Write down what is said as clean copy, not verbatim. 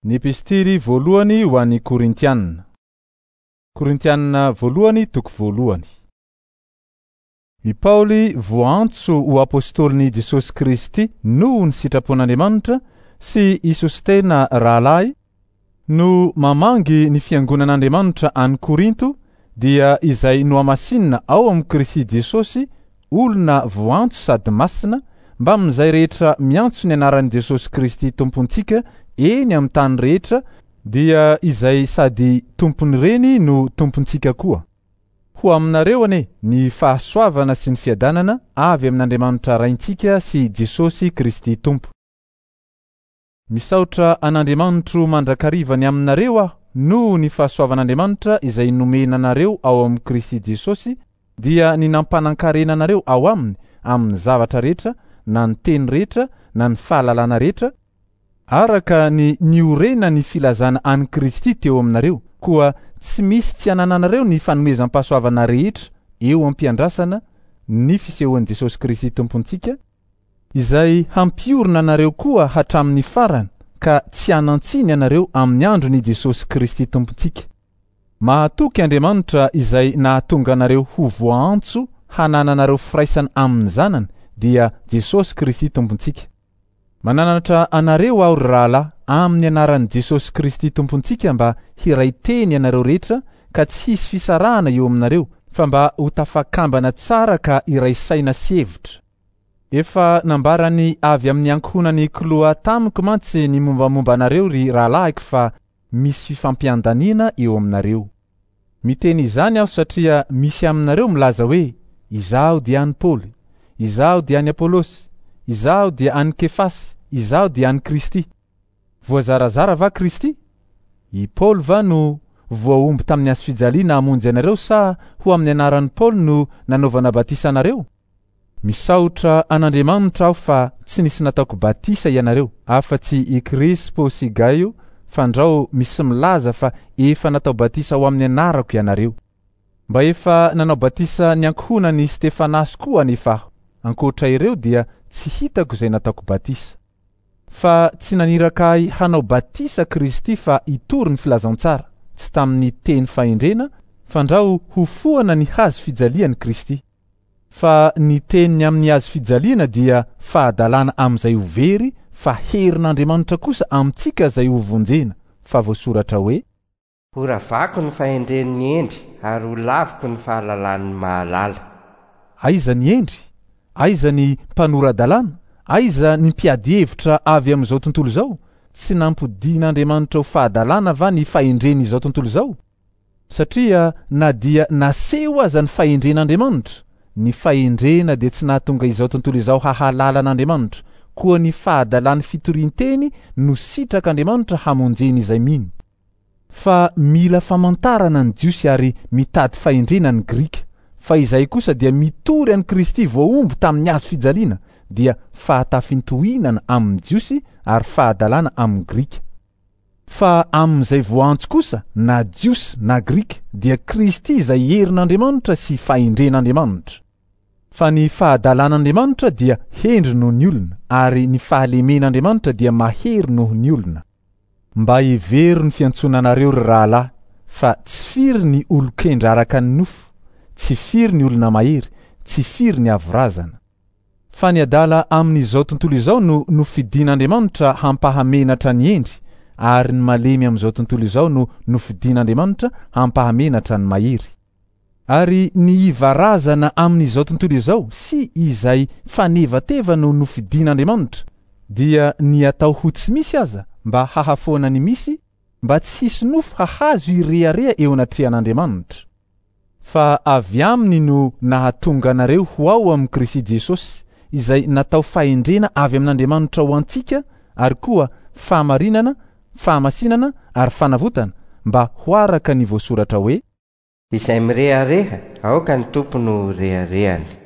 Ny Epistily voalohany ho an'ny Korintiana. Korintiana voalohany toko voalohany. I Paoly voaantso ho apostolin'i Jesosy Kristy noho ny sitrapon'Andriamanitra sy i Sostena rahalahy no mamangy ny fiangonan'Andriamanitra any Korinto dia izay nohamasinina ao amin'i Kristy Jesosy olona voantso sady masina mbamin'izay rehetra miantso ny anaran'i Jesosy Kristy Tompontsika eny amin'ny tany rehetra dia izay sady tompon'ireny no tompontsika koa. Ho aminareo anie ny fahasoavana sy ny fiadanana avy amin'Andriamanitra Raintsika sy Jesosy Kristy Tompo. Misaotra an'Andriamanitro mandrakariva ny aminareo aho noho ny fahasoavan'Andriamanitra izay nomena anareo ao amin'i Kristy Jesosy dia ny nampanan-karena anareo ao aminy amin'ny zavatra rehetra na ny teny rehetra na ny fahalalana rehetra araka ny niorenan'ny filazana an'i Kristy teo aminareo koa tsy misy tsy anananareo ny fanomezam-pahasoavana rehetra eo am-piandrasana ny fisehoan'i Jesosy Kristy Tompontsika izay hampiorina anareo koa hatramin'ny farany ka tsy hanan-tsiny ianareo amin'ny andron'i Jesosy Kristy Tompontsika. Mahatoky Andriamanitra izay nahatonga anareo ho voaantso hanananareo firaisana amin'ny Zanany, dia Jesosy Kristy Tompontsika. Mananatra anareo aho, ry rahalahy, amin'ny anaran'i Jesosy Kristy Tompontsika mba hiray teny ianareo rehetra ka tsy hisy fisarahana eo aminareo, fa mba ho tafakambana tsara ka hiray saina sy hevitra. Efa nambarany avy amin'ny ankohonan'i Kloa tamiko mantsy ny mombamomba anareo, ry rahalahiko, fa misy fifampiandaniana eo aminareo. Miteny izany aho satria misy aminareo milaza hoe, Izaho dia an'i Paoly, izaho dia an'i Apolosy, izaho dia an'i Kefasy, izaho dia an'i Kristy. Voazarazara va Kristy? I Paoly va no voahombo tamin'ny hazofijaliana hamonjy anareo sa ho amin'ny anaran'i Paoly no nanaovana batisa anareo? Misaotra an'Andriamanitra aho fa tsy nisy nataoko batisa ianareo afa-tsy i Krispo sy Gaio fandrao misy milaza fa efa natao batisa ho amin'ny anarako ianareo. Mba efa nanao batisa ny ankohonan'i Stefanasy koa anefa aho. Ankoatra ireo dia tsy hitako izay nataoko batisa. Fa tsy naniraka ahy hanao batisa Kristy fa hitory ny filazantsara, tsy tamin'ny teny fahendrena, fandrao ho foana ny hazo fijalian'i Kristy. Fa ny teniny amin'ny hazo fijaliana dia fahadalana amin'izay ho very, fa herin'Andriamanitra kosa amintsika izay ho vonjena, fa voasoratra hoe. Horavako ny fahendren'ny hendry ary holaviko ny fahalalan'ny mahalala. Aiza ny hendry? Aiza ny mpanora-dalàna? Aiza ny mpiady hevitra avy amin'izao tontolo izao? Tsy nampodian'Andriamanitra ho fahadalana va ny fahendren'izao tontolo izao? Satria na dia naseho aza ny fahendren'Andriamanitra, ny fahendrena dia tsy nahatonga izao tontolo izao hahalala an'Andriamanitra, koa ny fahadalan'ny fitorian-teny no sitrak'Andriamanitra hamonjeny izay mino. Fa mila famantarana ny Jiosy ary mitady fahendrena ny Grika, fa izahay kosa dia mitory an'i Kristy voahombo tamin'ny hazo fijaliana, dia fahatafintohinana amin'ny Jiosy ary fahadalana amin'ny Grika. Fa amin'izay voaantso kosa, na Jiosy na Grika, dia Kristy izay herin'Andriamanitra sy fahendren'Andriamanitra. Fa ny fahadalan'Andriamanitra dia hendry noho ny olona, ary ny fahalemen'Andriamanitra dia mahery noho ny olona. Mba hevero ny fiantsoana anareo, ry rahalahy, fa tsy firy ny olon-kendry araka ny nofo, tsy firy ny olona mahery, tsy firy ny avo razana. Fa ny adala amin'izao tontolo izao no nofidin'Andriamanitra hampahamenatra ny hendry, ary ny malemy amin'izao tontolo izao no nofidin'Andriamanitra hampahamenatra ny mahery. Ary ny iva razana amin'izao tontolo izao sy izay fanevateva no nofidin'Andriamanitra, dia ny atao ho tsy misy aza mba hahafoana ny misy, mba tsy hisy nofo hahazo hirehareha eo anatrehan'Andriamanitra. Fa avy aminy no nahatonga anareo ho ao amin'i Kristy Jesosy, izay natao fahendrena avy amin'Andriamanitra ho antsika, ary koa fahamarinana, fahamasinana ary fanavotana, mba ho araka ny voasoratra hoe. Izay mirehareha, aoka ny Tompo no ho reharehany.